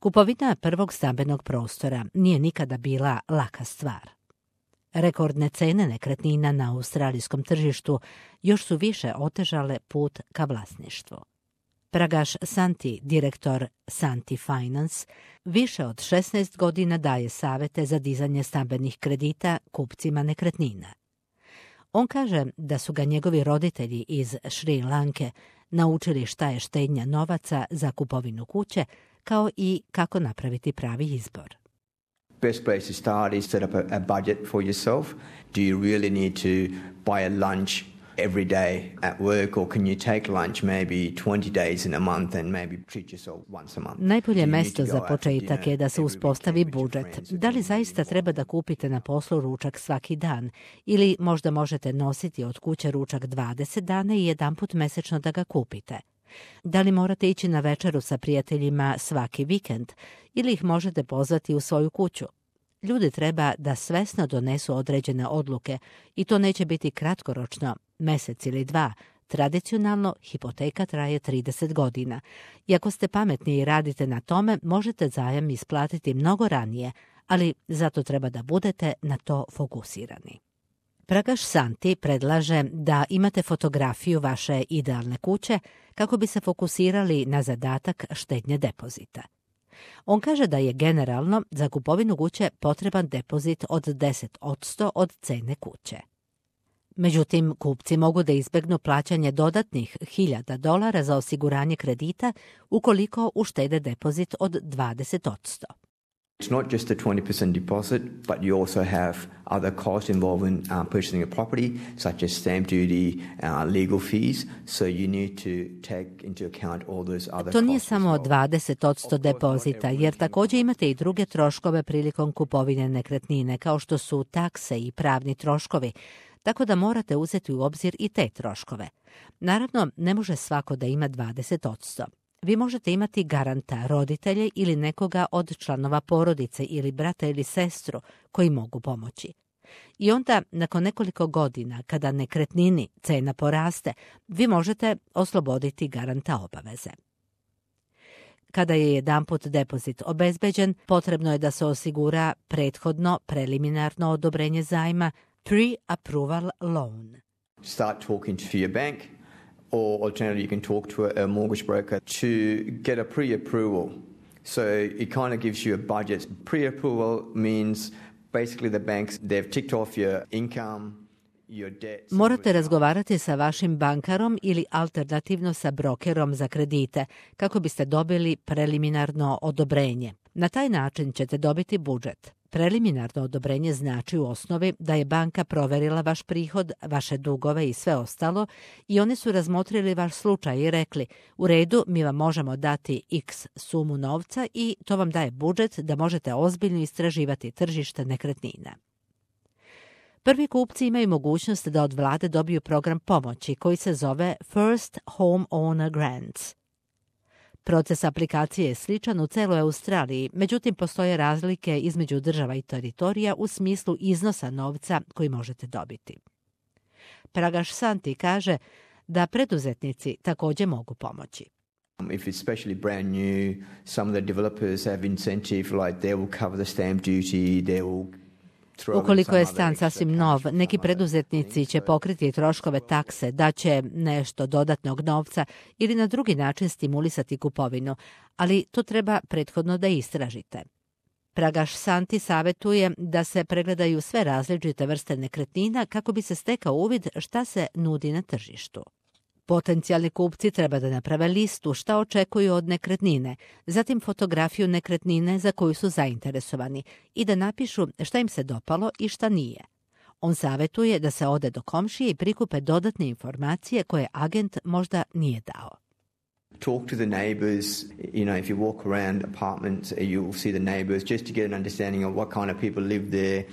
Kupovina prvog stambenog prostora nije nikada bila laka stvar. Rekordne cene nekretnina na australijskom tržištu još su više otežale put ka vlasništvu. Pragash Santi, direktor Santi Finance, više od 16 godina daje savete za dizanje stambenih kredita kupcima nekretnina. On kaže da su ga njegovi roditelji iz Šri Lanke naučili šta je štednja novaca za kupovinu kuće, kao i kako napraviti pravi izbor. Best place to start is set up a budget for yourself. Do you really need to buy a lunch every day at work, or can you take lunch maybe 20 days in a month and maybe treat yourself once a month? Najbolje mesto za početak je da se uspostavi budžet. Da li zaista treba da kupite na poslu ručak svaki dan, ili možda možete nositi od kuće ručak 20 dana i jedanput mesečno da ga kupite? Da li morate ići na večeru sa prijateljima svaki vikend ili ih možete pozvati u svoju kuću? Ljudi treba da svesno donesu određene odluke i to neće biti kratkoročno, mesec ili dva. Tradicionalno, hipoteka traje 30 godina. I ako ste pametni i radite na tome, možete zajam isplatiti mnogo ranije, ali zato treba da budete na to fokusirani. Pragash Santi predlaže da imate fotografiju vaše idealne kuće kako bi se fokusirali na zadatak štednje depozita. On kaže da je generalno za kupovinu kuće potreban depozit od 10% od cene kuće. Međutim, kupci mogu da izbegnu plaćanje dodatnih $1.000 za osiguranje kredita ukoliko uštede depozit od 20%. It's not just a 20% deposit, but you also have other costs involved in purchasing a property, such as stamp duty, legal fees, so you need to take into account all those other costs. To nije samo 20% depozita, jer također imate i druge troškove prilikom kupovine nekretnine, kao što su takse i pravni troškovi, tako da morate uzeti u obzir i te troškove. Naravno, ne može svako da ima 20%. Vi možete imati garanta, roditelje ili nekoga od članova porodice ili brata ili sestru koji mogu pomoći. I onda, nakon nekoliko godina, kada nekretnini cena poraste, vi možete osloboditi garanta obaveze. Kada je jedanput depozit obezbeđen, potrebno je da se osigura prethodno preliminarno odobrenje zajma, pre-approval loan. Start talking to your bank. Or alternatively, you can talk to a mortgage broker to get a pre-approval. So it kind of gives you a budget. Pre-approval means basically the banks, they've ticked off your income, your debt. Morate razgovarati sa vašim bankarom ili alternativno sa brokerom za kredite kako biste dobili preliminarno odobrenje. Na taj način ćete dobiti budžet. Preliminarno odobrenje znači u osnovi da je banka proverila vaš prihod, vaše dugove i sve ostalo i oni su razmotrili vaš slučaj i rekli u redu, mi vam možemo dati x sumu novca i to vam daje budžet da možete ozbiljno istraživati tržište nekretnina. Prvi kupci imaju mogućnost da od vlade dobiju program pomoći koji se zove First Home Owner Grants. Proces aplikacije je sličan u celoj Australiji, međutim postoje razlike između država i teritorija u smislu iznosa novca koji možete dobiti. Pragash Santi kaže da preduzetnici također mogu pomoći. If it's especially brand new, some of the developers have incentive like they will cover the stamp duty, they will. Ukoliko je stan sasvim nov, neki preduzetnici će pokriti troškove takse, daće nešto dodatnog novca ili na drugi način stimulisati kupovinu, ali to treba prethodno da istražite. Pragash Santi savjetuje da se pregledaju sve različite vrste nekretnina kako bi se stekao uvid šta se nudi na tržištu. Potencijalni kupci treba da naprave listu šta očekuju od nekretnine, zatim fotografiju nekretnine za koju su zainteresovani i da napišu šta im se dopalo i šta nije. On savjetuje da se ode do komšije i prikupe dodatne informacije koje agent možda nije dao. Talk to the neighbours, if you walk around apartments, you'll see the neighbours just to get an understanding of what kind of people live there,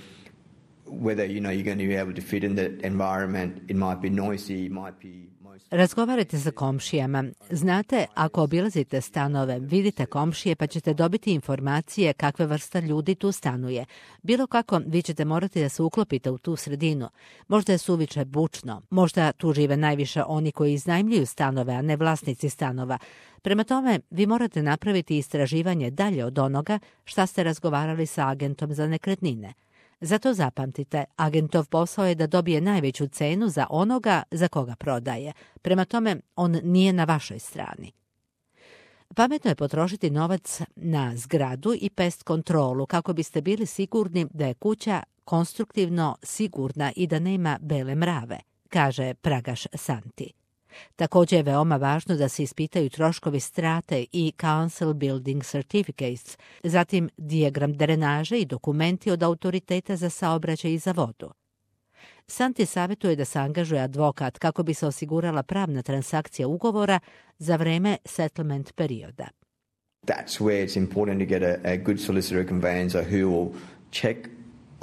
whether, you're going to be able to fit in that environment. It might be noisy, it might be Razgovarajte sa komšijama. Znate, ako obilazite stanove, vidite komšije pa ćete dobiti informacije kakve vrsta ljudi tu stanuje. Bilo kako, vi ćete morati da se uklopite u tu sredinu. Možda je suviše bučno, možda tu žive najviše oni koji iznajmljuju stanove, a ne vlasnici stanova. Prema tome, vi morate napraviti istraživanje dalje od onoga šta ste razgovarali sa agentom za nekretnine. Zato zapamtite, agentov posao je da dobije najveću cenu za onoga za koga prodaje. Prema tome, on nije na vašoj strani. Pametno je potrošiti novac na zgradu i pest kontrolu kako biste bili sigurni da je kuća konstruktivno sigurna i da nema bele mrave, kaže Pragaš Santi. Također je veoma važno da se ispitaju troškovi strate i Council Building Certificates, zatim dijagram drenaže i dokumenti od autoriteta za saobraćaj i za vodu. Santi savjetuje da se angažuje advokat kako bi se osigurala pravna transakcija ugovora za vreme settlement perioda. That's where it's important to get a good solicitor conveyancer who will check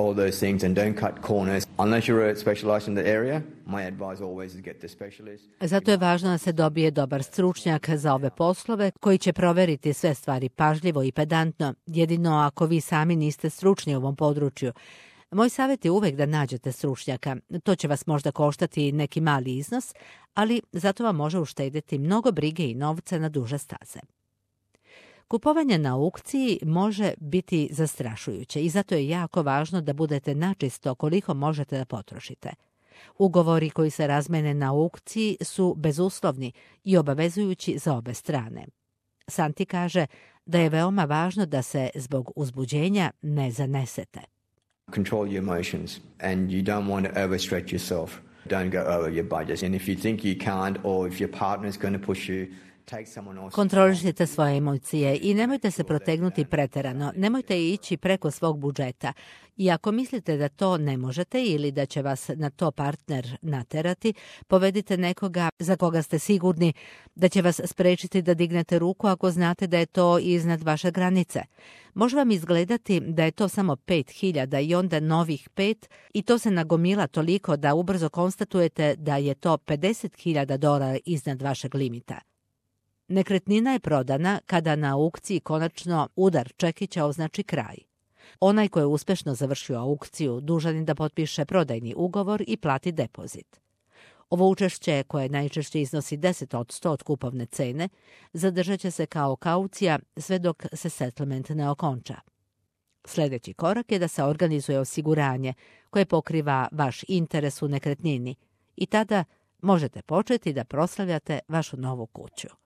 all those things and don't cut corners. Unless you're specialized in the area, my advice always is get the specialist. Zato je važno da se dobije dobar stručnjak za ove poslove koji će proveriti sve stvari pažljivo i pedantno, jedino ako vi sami niste stručni u ovom području. Moj savjet je uvek da nađete stručnjaka. To će vas možda koštati neki mali iznos, ali zato vam može uštedjeti mnogo brige i novca na duže staze. Kupovanje na aukciji može biti zastrašujuće i zato je jako važno da budete načisto koliko možete da potrošite. Ugovori koji se razmene na aukciji su bezuslovni i obavezujući za obe strane. Santi kaže da je veoma važno da se zbog uzbuđenja ne zanesete. Control your emotions and you don't want to overstretch yourself. Don't go over your budget. And if you think you can't or if your partner is going to push you, kontrolišite svoje emocije i nemojte se protegnuti preterano, nemojte ići preko svog budžeta. I ako mislite da to ne možete ili da će vas na to partner naterati, povedite nekoga za koga ste sigurni da će vas sprečiti da dignete ruku ako znate da je to iznad vaše granice. Može vam izgledati da je to samo 5.000 i onda novih 5 i to se nagomila toliko da ubrzo konstatujete da je to $50.000 iznad vašeg limita. Nekretnina je prodana kada na aukciji konačno udar čekića označi kraj. Onaj ko je uspešno završio aukciju dužan je da potpiše prodajni ugovor i plati depozit. Ovo učešće, koje najčešće iznosi 10% od kupovne cene, zadržat će se kao kaucija sve dok se settlement ne okonča. Sljedeći korak je da se organizuje osiguranje koje pokriva vaš interes u nekretnini i tada možete početi da proslavljate vašu novu kuću.